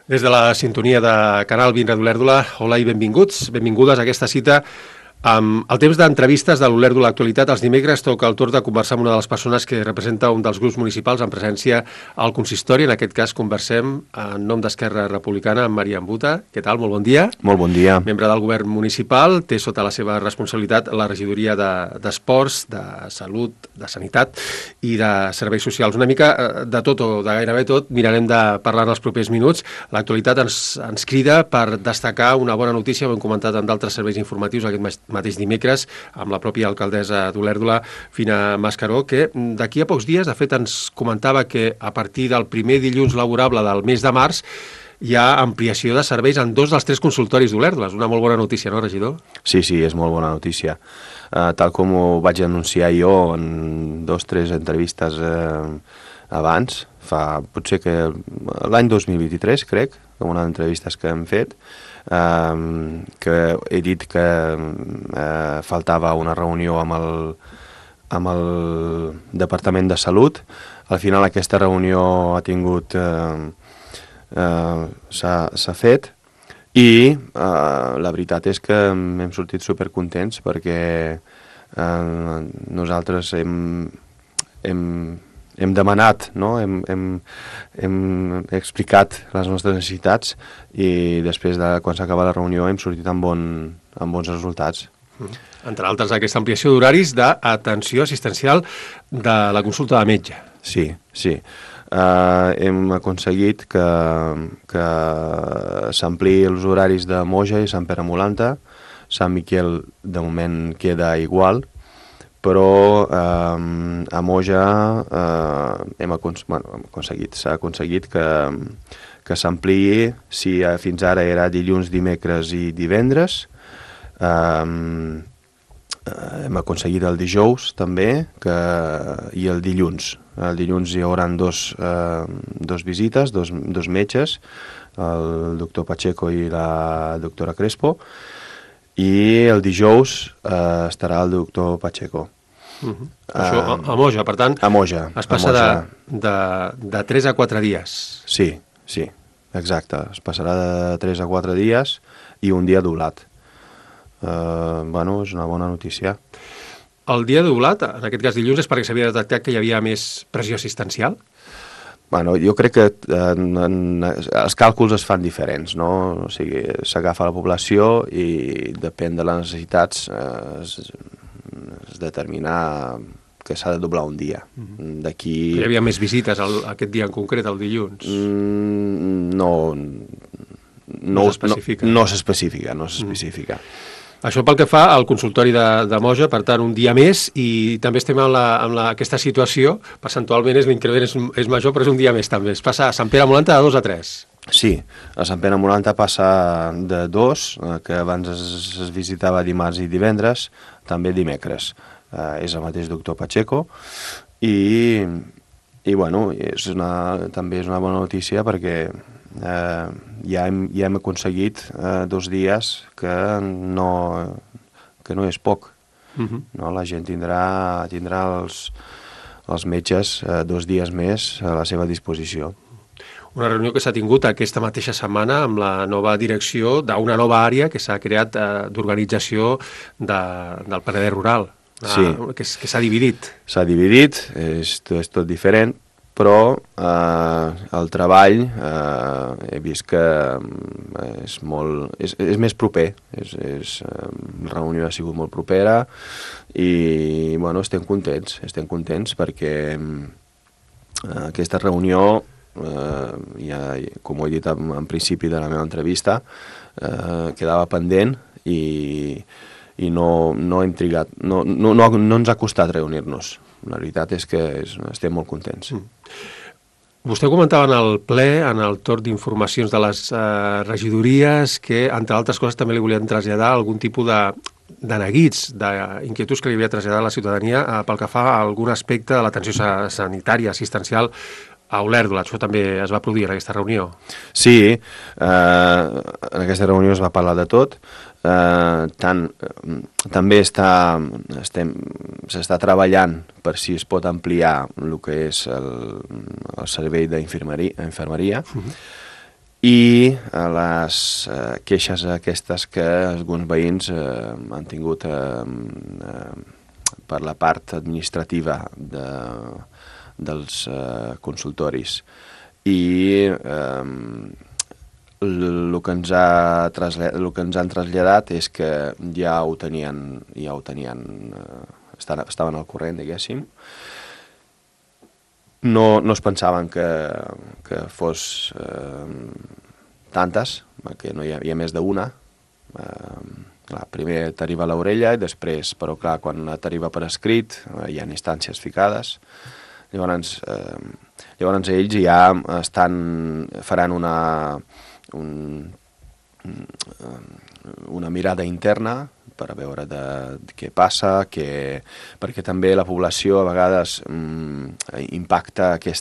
Des de la sintonia de Canal 20 d'Olèrdola, hola i benvinguts, benvingudes a aquesta cita amb el temps d'entrevistes de l'Olèrdola Actualitat. Els dimecres toca el torn de conversar amb una de les persones que representa un dels grups municipals en presència al consistori. En aquest cas conversem en nom d'Esquerra Republicana amb Maria Ambuta. Què tal? Molt bon dia. Molt bon dia. Membre del govern municipal, té sota la seva responsabilitat la regidoria d'Esports, de Salut, de Sanitat i de Serveis Socials. Una mica de tot o de gairebé tot mirarem de parlar en els propers minuts. L'actualitat ens crida per destacar una bona notícia, ho hem comentat en d'altres serveis informatius aquest mateix dimecres, amb la pròpia alcaldessa d'Olèrdola, Fina Mascaró, que d'aquí a pocs dies, de fet, ens comentava que a partir del primer dilluns laborable del mes de març hi ha ampliació de serveis en 2 dels 3 consultoris d'Olèrdola. És una molt bona notícia, no, regidor? Sí, és molt bona notícia. Tal com ho vaig anunciar jo en 2 o 3 entrevistes abans, potser que l'any 2023, crec, en una d'entrevistes que hem fet, que he dit que faltava una reunió amb el Departament de Salut. Al final aquesta reunió ha tingut... s'ha fet i la veritat és que hem sortit supercontents perquè nosaltres hem demanat, no? Hem explicat les nostres necessitats i després de quan s'acaba la reunió hem sortit amb bons resultats. Entre altres, aquesta ampliació d'horaris d'atenció assistencial de la consulta de metge. Sí. Hem aconseguit que s'ampliï els horaris de Moja i Sant Pere Molanta. Sant Miquel de moment queda igual, però a Moja s'ha aconseguit que s'ampliï. Si fins ara era dilluns, dimecres i divendres, hem aconseguit el dijous també i el dilluns. El dilluns hi haurà dos visites, dos metges, el doctor Pacheco i la doctora Crespo, i el dijous estarà el doctor Pacheco. Això a Moja, per tant, a Moja, es passa de 3 a 4 dies. Sí, exacte. Es passarà de 3 a 4 dies i un dia doblat. És una bona notícia. El dia doblat, en aquest cas dilluns, és perquè s'havia detectat que hi havia més pressió assistencial? Jo crec que els càlculs es fan diferents, no? O sigui, s'agafa la població i depèn de les necessitats es determina que s'ha de doblar un dia. Hi havia més visites aquest dia en concret, el dilluns? No s'especifica. Això pel que fa al consultori de Moja, per tant, un dia més, i també estem en aquesta situació, percentualment l'increment és major, però és un dia més també. Es passa a Sant Pere Molanta de 2 a 3. Sí, a Sant Pere Molanta passa de 2, que abans es visitava dimarts i divendres, també dimecres. És el mateix doctor Pacheco, i també és una bona notícia perquè ja hem aconseguit 2 dies que no és poc. No? La gent tindrà els metges 2 dies més a la seva disposició. Una reunió que s'ha tingut aquesta mateixa setmana amb la nova direcció d'una nova àrea que s'ha creat d'organització del Penedès Rural, que s'ha dividit. S'ha dividit, és tot diferent, però el treball he vist que és més proper. La reunió ha sigut molt propera i estem contents perquè aquesta reunió, com ho he dit en principi de la meva entrevista, quedava pendent i no hem trigat, no ens ha costat reunir-nos. La veritat és que estem molt contents. Vostè comentava en el ple, en el torn d'informacions de les regidories, que, entre altres coses, també li volien traslladar algun tipus de neguits, d'inquietuds que li havia traslladat a la ciutadania pel que fa a algun aspecte de l'atenció sanitària, assistencial a Olèrdola. Això també es va produir en aquesta reunió? Sí, en aquesta reunió es va parlar de tot. També s'està treballant per si es pot ampliar el que és el servei d'infermeria i les queixes aquestes que alguns veïns han tingut per la part administrativa dels consultoris. I el que ens han traslladat és que ja ho tenien estaven al corrent, diguéssim. No es pensaven que fos tantes, perquè no hi havia més d'una. Primer t'arriba a l'orella i després, però clar, quan t'arriba per escrit hi ha instàncies ficades. Llavors ells ja faran una mirada interna per a veure de què passa, perquè també la població a vegades impacta que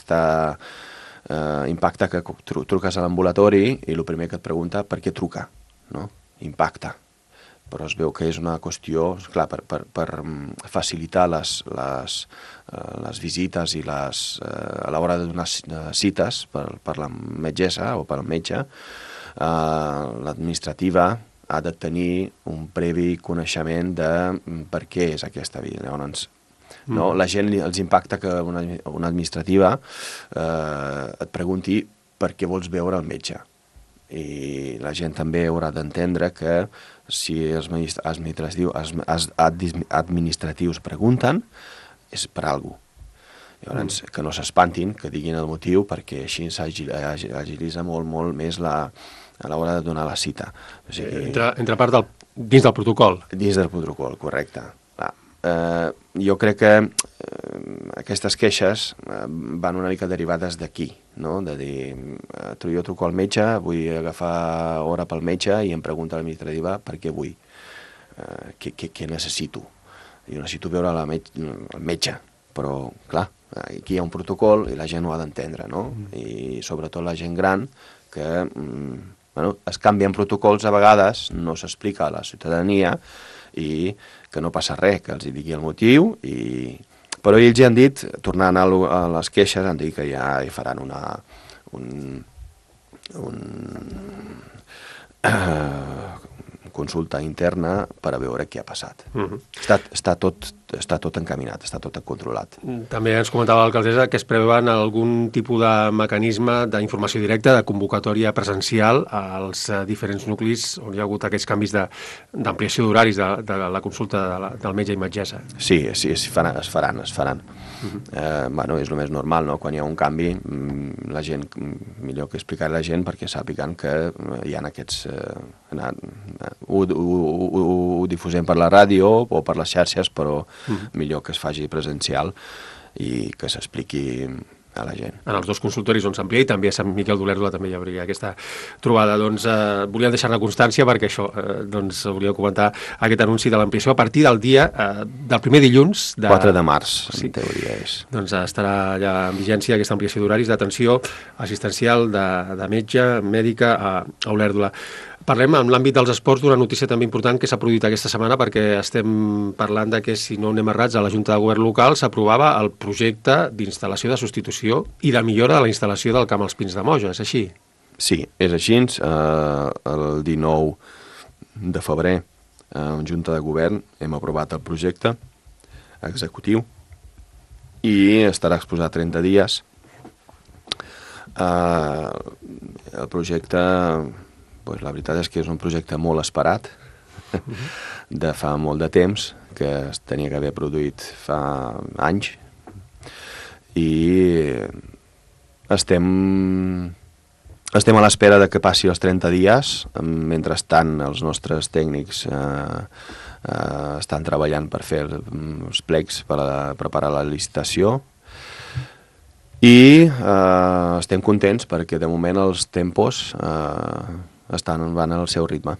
truques a l'ambulatori i el primer que et pregunta per què truca, no? Impacta. Però es veu que és una qüestió, clar, per facilitar les visites i a l'hora de donar cites per la metgessa o per al metge, l'administrativa ha de tenir un previ coneixement de per què és aquesta vida. Llavors, no? La gent els impacta que una administrativa et pregunti per què vols veure el metge. I la gent també haurà d'entendre que si els administratius pregunten és per alguna cosa. Llavors, que no s'espantin, que diguin el motiu, perquè així s'agilitza molt més a l'hora de donar la cita. O sigui, entra part dins del protocol. Dins del protocol, correcte. Jo crec que aquestes queixes van una mica derivades d'aquí, no? De dir, jo truco al metge, vull agafar hora pel metge i em pregunta l'administrativa per què vull, què necessito. Jo necessito veure el metge, però clar, aquí hi ha un protocol i la gent ho ha d'entendre, no? I sobretot la gent gran que es canvien protocols a vegades, no s'explica a la ciutadania i que no passa res, que els digui el motiu, però ells ja han dit, tornant a les queixes, han dit que ja hi faran consulta interna per a veure què ha passat. Està tot encaminat, està tot controlat. També ens comentava l'alcaldessa que es preveuen algun tipus de mecanisme d'informació directa, de convocatòria presencial als diferents nuclis on hi ha hagut aquests canvis d'ampliació d'horaris de la consulta del metge i metgessa. Sí, es faran. És el més normal, no? Quan hi ha un canvi, la gent, millor que explicar a la gent perquè sàpiguen que hi ha aquests... Ho difusem per la ràdio o per les xarxes, però millor que es faci presencial i que s'expliqui a la gent. En els dos consultoris on s'amplia i també a Sant Miquel d'Olèrdola també hi hauria aquesta trobada. Doncs volíem deixar-ne constància perquè això, doncs volíem comentar aquest anunci de l'ampliació a partir del dia del primer dilluns. 4 de març, en teoria és. Doncs estarà ja en vigència aquesta ampliació d'horaris d'atenció assistencial de metge, mèdica a Olèrdola. Parlem en l'àmbit dels esports d'una notícia també important que s'ha produït aquesta setmana perquè estem parlant de que, si no anem errats, a la Junta de Govern local s'aprovava el projecte d'instal·lació de substitució i de millora de la instal·lació del Camp als Pins de Moja, és així? Sí, és així. El 19 de febrer, en Junta de Govern, hem aprovat el projecte executiu i estarà exposat 30 dies. El projecte... la veritat és que és un projecte molt esperat, de fa molt de temps, que es tenia que haver produït fa anys, i estem a l'espera de que passi els 30 dies. Mentrestant, els nostres tècnics estan treballant per fer els plecs per preparar la licitació, i estem contents perquè de moment els tempos van al seu ritme.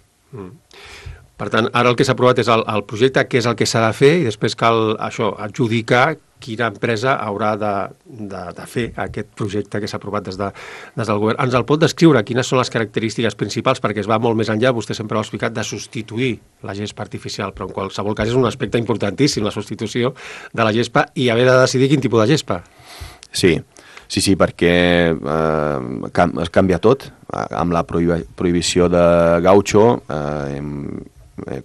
Per tant, ara el que s'ha aprovat és el projecte, què és el que s'ha de fer, i després cal adjudicar quina empresa haurà de fer aquest projecte que s'ha aprovat des del govern. Ens el pot descriure? Quines són les característiques principals? Perquè es va molt més enllà, vostè sempre ho ha explicat, de substituir la gespa artificial, però en qualsevol cas és un aspecte importantíssim, la substitució de la gespa, i haver de decidir quin tipus de gespa. Sí. Sí, perquè es canvia tot. Amb la prohibició de gaucho,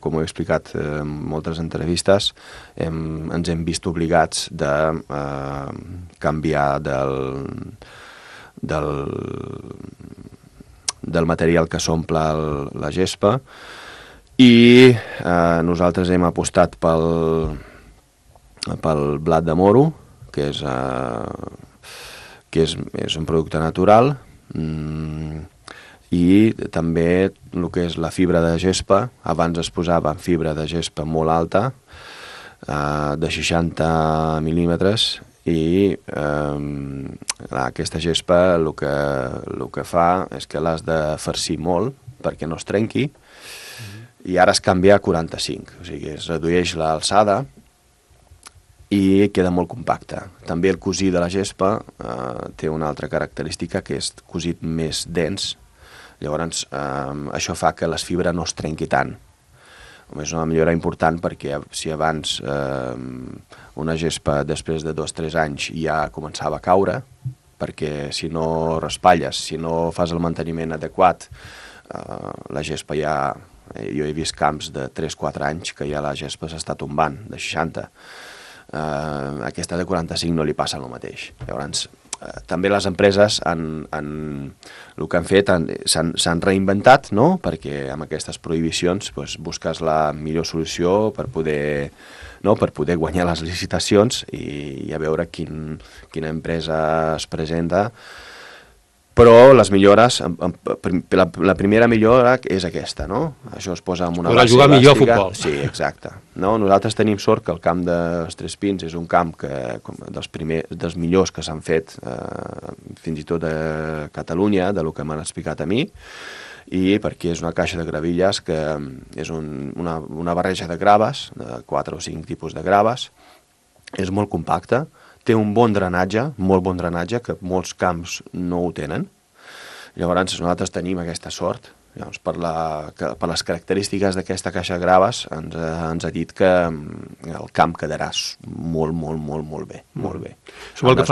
com ho he explicat en moltes entrevistes, ens hem vist obligats de canviar del material que s'omple la gespa, i nosaltres hem apostat pel blat de moro, que és un producte natural, i també el que és la fibra de gespa. Abans es posava fibra de gespa molt alta, de 60 mil·límetres, i aquesta gespa el que fa és que l'has de farcir molt perquè no es trenqui, i ara es canvia a 45, o sigui, es redueix l'alçada i queda molt compacte. També el cosir de la gespa té una altra característica, que és cosit més dens. Llavors, això fa que les fibres no es trenqui tant. És una millora important, perquè si abans una gespa després de 2 o 3 anys ja començava a caure, perquè si no raspalles, si no fas el manteniment adequat, la gespa ja... Jo he vist camps de 3-4 anys que ja la gespa s'està tombant, de 60. Aquesta de 45 no li passa el mateix. Llavors, també les empreses el que han fet s'han reinventat, no? Perquè amb aquestes prohibicions busques la millor solució per poder guanyar les licitacions i a veure quina empresa es presenta. Però les millores, la primera millora és aquesta, no? Això es posa amb una base jugar elàstica. Millor a futbol. Sí, exacte. No? Nosaltres tenim sort que el camp dels Tres Pins és un camp dels millors que s'han fet, fins i tot a Catalunya, del que m'han explicat a mi, i perquè és una caixa de gravilles que és una barreja de graves, de 4 o 5 tipus de graves, és molt compacta, té un bon drenatge, molt bon drenatge, que molts camps no ho tenen. Llavors nosaltres tenim aquesta sort. Llavors, per les característiques d'aquesta caixa de graves ens ha dit que el camp quedarà molt, molt, molt, molt bé. Molt bé. Pel que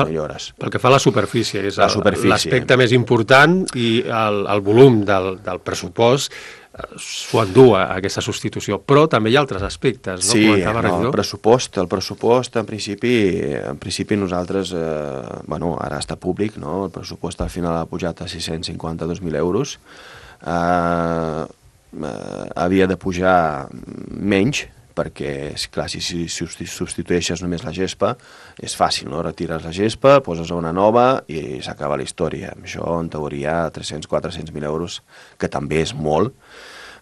fa a la superfície, és l'aspecte més important, i el volum del pressupost s'ho endú a aquesta substitució, però també hi ha altres aspectes, no? Sí, el pressupost en principi nosaltres, ara està públic, no? El pressupost al final ha pujat a 652.000 euros, havia de pujar menys, perquè, clar, si substitueixes només la gespa, és fàcil, no? Retires la gespa, poses una nova i s'acaba la història. Això, en teoria, 300-400.000 euros, que també és molt,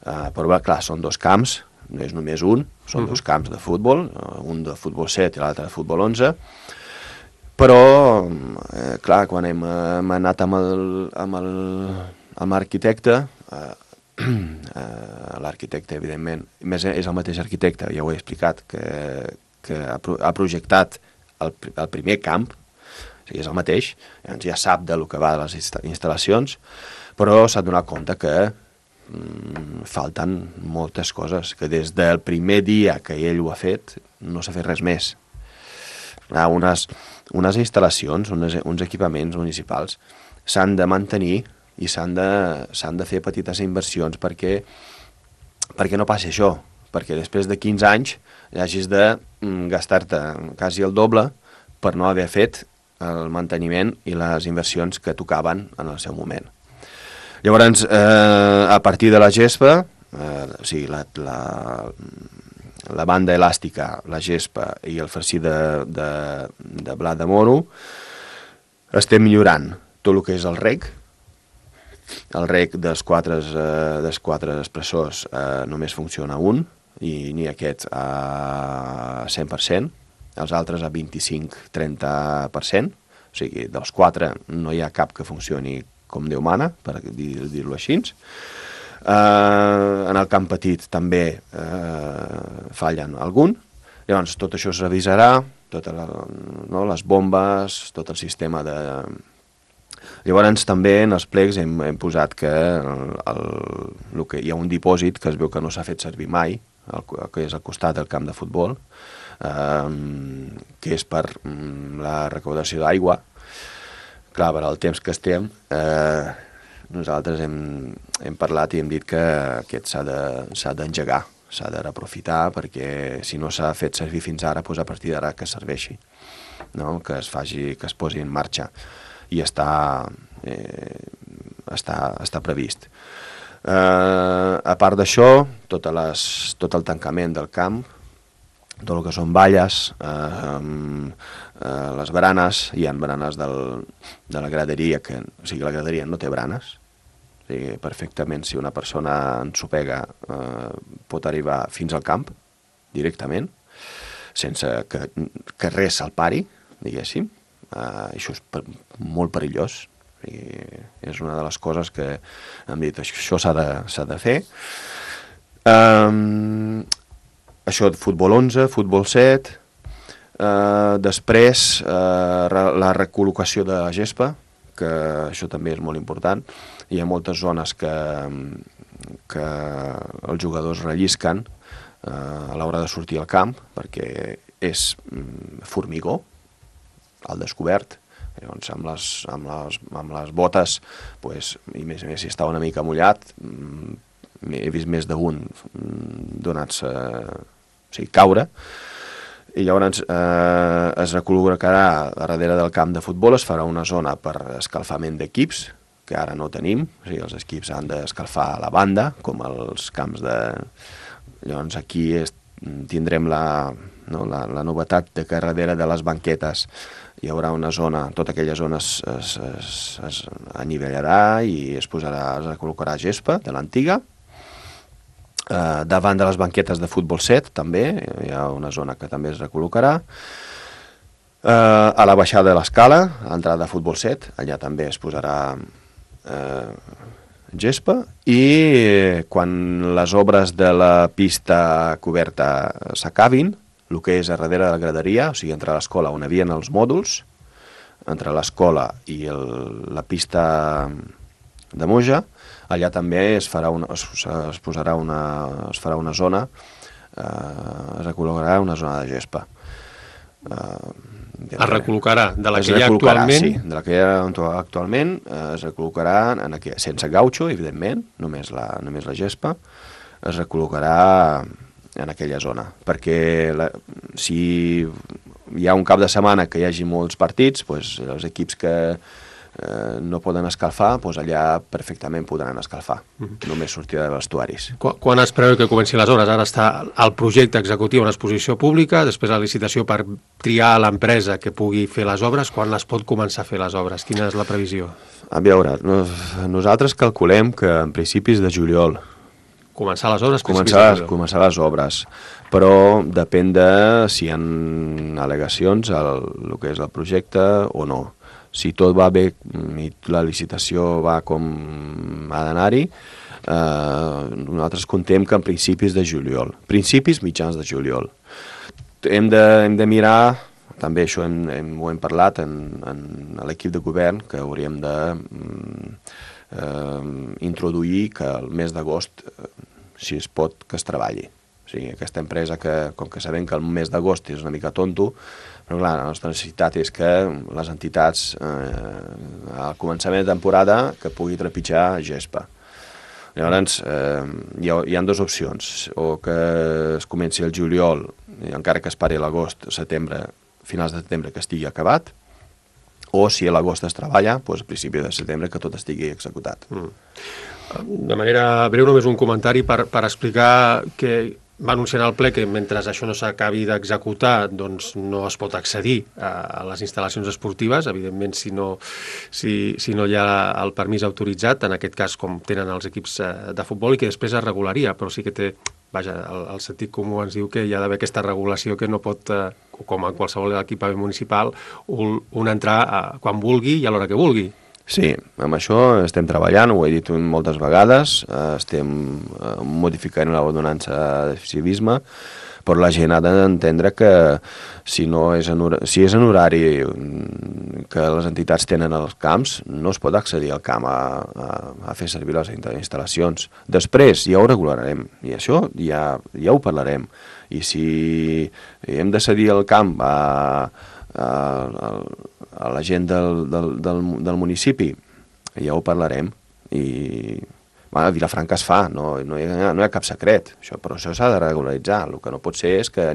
però, clar, són 2 camps, no és només un, són 2 camps de futbol, un de futbol 7 i l'altre de futbol 11, però, clar, quan hem anat amb l'arquitecte, l'arquitecte, evidentment, més és el mateix arquitecte, ja ho he explicat, que ha projectat el primer camp, o sigui, és el mateix, ja sap del que va de les instal·lacions, però s'ha donat compte que falten moltes coses, que des del primer dia que ell ho ha fet no s'ha fet res més. Unes instal·lacions, uns equipaments municipals s'han de mantenir i s'han de fer petites inversions perquè no passi això, perquè després de 15 anys hagis de gastar-te quasi el doble per no haver fet el manteniment i les inversions que tocaven en el seu moment. Llavors, a partir de la gespa, o sigui, la banda elàstica, la gespa i el farcir de blat de moro, estem millorant tot el que és el rec. El rec dels quatre expressors només funciona un, i ni aquest a 100%, els altres a 25-30%, o sigui, dels 4 no hi ha cap que funcioni com Déu mana, per dir-ho així. En el camp petit també fallen algun. Llavors, tot això es revisarà, les bombes, tot el sistema de... Llavors, també en els plecs hem posat que hi ha un dipòsit que es veu que no s'ha fet servir mai, que és al costat del camp de futbol, que és per la recaudació d'aigua. Clar, per al temps que estem, nosaltres hem parlat i hem dit que aquest s'ha d'engegar, s'ha de reaprofitar, perquè si no s'ha fet servir fins ara, doncs a partir d'ara que serveixi, no? Que es posi en marxa, i està previst. A part d'això, tot el tancament del camp, tot el que són valles, les baranes, hi ha baranes de la graderia, o sigui, la graderia no té branes, o sigui, perfectament, si una persona ensopega, pot arribar fins al camp, directament, sense que res se'l pari, diguéssim. Això és molt perillós, i és una de les coses que hem dit, això s'ha de fer. Això de futbol 11, futbol 7, després la recol·locació de gespa, que això també és molt important. Hi ha moltes zones que els jugadors rellisquen a l'hora de sortir al camp, perquè és formigó al descobert. Llavors, amb les botes, i més si està una mica mullat, he vist més d'un donats, caure, i llavors es recol·locarà darrere del camp de futbol, es farà una zona per escalfament d'equips, que ara no tenim, o sigui, els equips han d'escalfar a la banda, com els camps de... Llavors aquí tindrem la novetat de que darrere de les banquetes hi haurà una zona, tota aquella zona es anivellarà i es recol·locarà gespa de l'antiga. Davant de les banquetes de futbol 7 també hi ha una zona que també es recol·locarà. A la baixada de l'escala, a l'entrada de futbol 7, allà també es posarà gespa, i quan les obres de la pista coberta s'acabin, el que és a darrere de la graderia, o sigui, entre l'escola on hi havia els mòduls, entre l'escola i la pista de Moja, allà també es farà una zona, es recol·locarà una zona de gespa. Es recol·locarà de la que hi ha actualment? Sí, de la que hi ha actualment es recol·locarà, sense gautxo, evidentment, només la gespa, es recol·locarà en aquella zona, perquè si hi ha un cap de setmana que hi hagi molts partits, els equips que no poden escalfar, allà perfectament podran escalfar, només sortir de vestuaris. Quan es preveu que comenci les obres? Ara està el projecte executiu en exposició pública, després la licitació per triar l'empresa que pugui fer les obres. Quan es pot començar a fer les obres? Quina és la previsió? A veure, nosaltres calculem que en principis de juliol. Començar les obres? Començar les obres, però depèn de si hi ha al·legacions al que és el projecte o no. Si tot va bé i la licitació va com ha d'anar-hi, nosaltres contem que en principis de juliol, mitjans de juliol. Hem de mirar, també això ho hem parlat en l'equip de govern, que hauríem de introduir que el mes d'agost, si es pot, que es treballi. O sigui, aquesta empresa que, com que sabem que el mes d'agost és una mica tonto, però clar, la nostra necessitat és que les entitats, al començament de temporada, que pugui trepitjar gespa. Llavors, hi ha dues opcions, o que es comenci el juliol, encara que es pari l'agost, setembre, finals de setembre, que estigui acabat, o si a l'agost es treballa, doncs a principi de setembre que tot estigui executat. De manera breu, només un comentari per explicar que va anunciar al ple que mentre això no s'acabi d'executar, doncs no es pot accedir a les instal·lacions esportives, evidentment si no hi ha el permís autoritzat, en aquest cas com tenen els equips de futbol, i que després es regularia, però sí que té, vaja, el sentit comú ens diu que hi ha d'haver aquesta regulació que no pot, com en qualsevol equipament municipal, un entrar quan vulgui i a l'hora que vulgui. Sí, amb això estem treballant, ho he dit moltes vegades, estem modificant l'ordenança de civisme, però la gent ha d'entendre que si és en horari que les entitats tenen als camps, no es pot accedir al camp a fer servir les instal·lacions. Després ja ho regularem, i això ja ho parlarem. I si hem de cedir el camp a la gent del municipi, ja ho parlarem, i a Vilafranca es fa, no hi ha cap secret, però això s'ha de regularitzar. El que no pot ser és que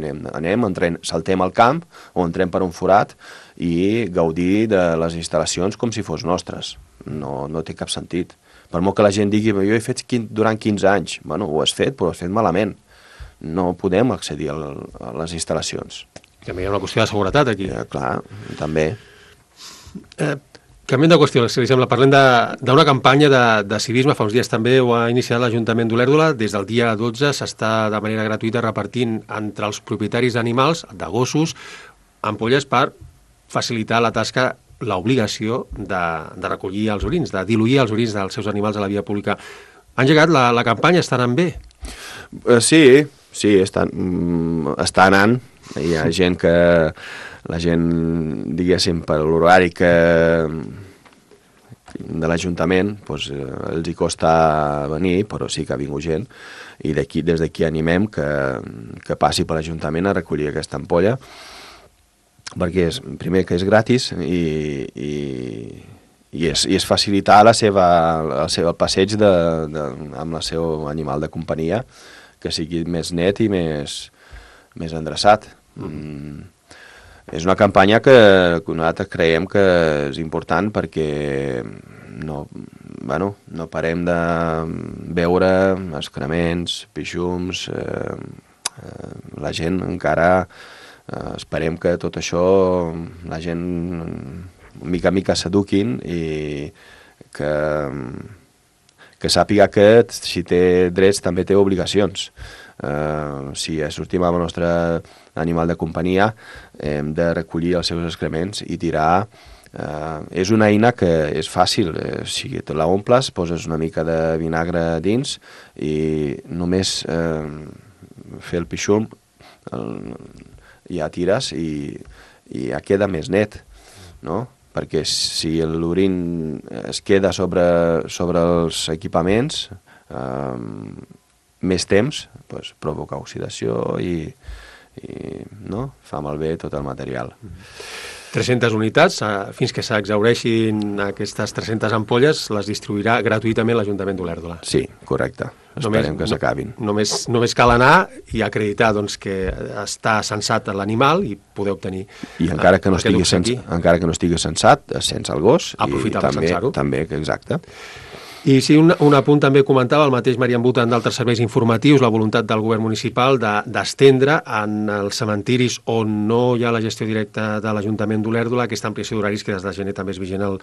saltem al camp o entrem per un forat i gaudir de les instal·lacions com si fos nostres. No té cap sentit. Per molt que la gent digui, jo he fet durant 15 anys, bueno, ho has fet, però ho has fet malament. No podem accedir a les instal·lacions. I també hi ha una qüestió de seguretat aquí. Clar, també. Canviem de qüestió, si li sembla. Parlem d'una campanya de civisme. Fa uns dies també ho ha iniciat l'Ajuntament d'Olèrdola. Des del dia 12 s'està de manera gratuïta repartint entre els propietaris d'animals, de gossos, ampolles per facilitar la tasca, l'obligació de recollir els orins, de diluir els orins dels seus animals a la via pública. Ha engegat la campanya, està anant bé? Sí, està anant. Hi ha gent que... La gent, diguéssim, per l'horari de l'Ajuntament, els hi costa venir, però sí que ha vingut gent, i des d'aquí animem que passi per l'Ajuntament a recollir aquesta ampolla, perquè primer que és gratis i és facilitar el passeig amb el seu animal de companyia, que sigui més net i més endreçat. És una campanya que nosaltres creiem que és important perquè no parem de veure excrements, pixums, la gent encara esperem que tot això la gent mica en mica s'eduquin i que sàpiga que si té drets també té obligacions. Si sortim amb el nostre animal de companyia hem de recollir els seus excrements i tirar. És una eina que és fàcil, si te la omples, poses una mica de vinagre dins i només fer el pixum ja tires i ja queda més net, no? Perquè si l'orin es queda sobre els equipaments més temps, provoca oxidació i fa malbé tot el material. 300 unitats, fins que s'exhaureixin aquestes 300 ampolles, les distribuirà gratuïtament l'Ajuntament d'Olèrdola. Sí, correcte. Esperem que s'acabin. Només cal anar i acreditar que està censat l'animal i poder obtenir... I encara que no estigui censat, sense el gos. Aprofitar per censar-ho. També, exacte. I sí, un apunt també comentava el mateix Marian Butan d'altres serveis informatius, la voluntat del govern municipal d'estendre en els cementiris on no hi ha la gestió directa de l'Ajuntament d'Olèrdola aquesta ampliació d'horaris que des de gener també és vigent al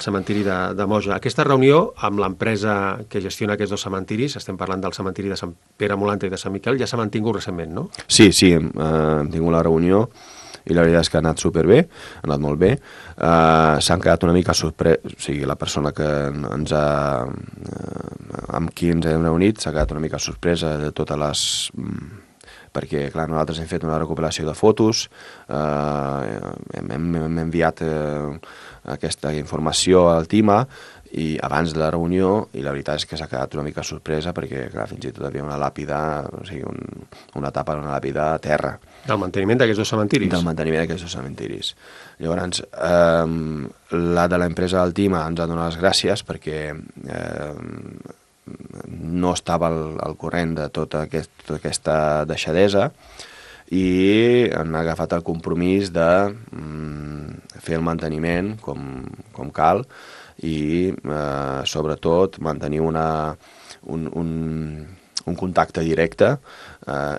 cementiri de Moja. Aquesta reunió amb l'empresa que gestiona aquests dos cementiris, estem parlant del cementiri de Sant Pere Molanta i de Sant Miquel, ja s'ha mantingut recentment, no? Sí, hem tingut la reunió i la veritat és que ha anat superbé, ha anat molt bé. S'han quedat una mica sorpresos, o sigui, la persona que amb qui ens hem reunit s'ha quedat una mica sorpresa de totes les... Perquè, clar, nosaltres hem fet una recuperació de fotos, hem enviat aquesta informació al TIMA i abans de la reunió, i la veritat és que s'ha quedat una mica sorpresa perquè, clar, fins i tot havia una làpida, o sigui, una tapa d'una làpida a terra. Del manteniment d'aquests dos cementiris? Del manteniment d'aquests dos cementiris. Llavors, la de l'empresa del TIMA ens ha donat les gràcies perquè no estava al corrent de tota aquesta deixadesa i han agafat el compromís de fer el manteniment com cal i sobretot mantenir un contacte directe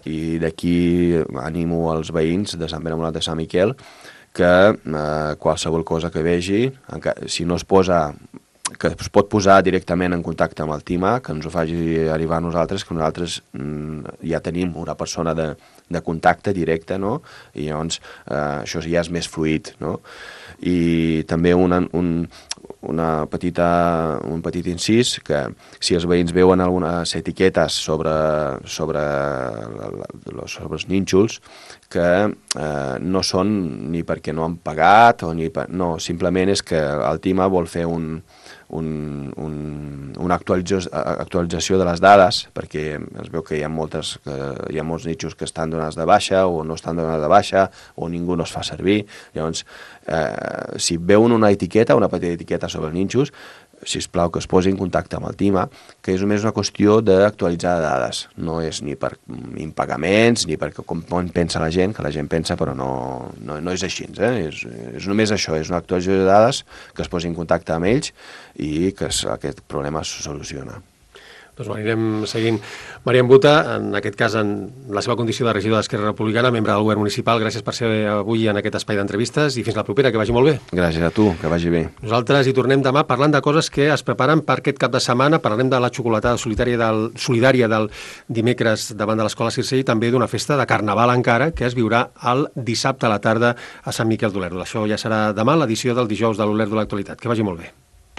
i d'aquí animo als veïns de Sant Pere Molat de Sant Miquel que qualsevol cosa que vegi, si no es posa, que es pot posar directament en contacte amb el TIMA, que ens ho faci arribar a nosaltres, que nosaltres ja tenim una persona de contacte directe, no? I llavors això ja és més fluid, no? I també un petit incís, que si els veïns veuen algunes etiquetes sobre els nínxols, que no són ni perquè no han pagat, no, simplement és que el TIMA vol fer un una actualització de les dades, perquè es veu que hi ha molts nichos que estan donats de baixa o no estan donats de baixa o ningú no es fa servir. Llavors, si veuen una petita etiqueta sobre els nínxols, sisplau que es posi en contacte amb el TIMA, que és només una qüestió d'actualitzar dades. No és ni per impagaments, ni per com pensa la gent, que la gent pensa, però no és així. És només això, és una actualització de dades, que es posi en contacte amb ells i que aquest problema es soluciona. Doncs anirem seguint. Maria Buta, en aquest cas en la seva condició de regidor d'Esquerra Republicana, membre del govern municipal, gràcies per ser avui en aquest espai d'entrevistes i fins la propera, que vagi molt bé. Gràcies a tu, que vagi bé. Nosaltres hi tornem demà parlant de coses que es preparen per aquest cap de setmana. Parlarem de la xocolatada solidària del dimecres davant de l'Escola Circell i també d'una festa de Carnaval encara que es viurà el dissabte a la tarda a Sant Miquel d'Olèrdola. Això ja serà demà, l'edició del dijous de l'Olèrdola Actualitat. Que vagi molt bé.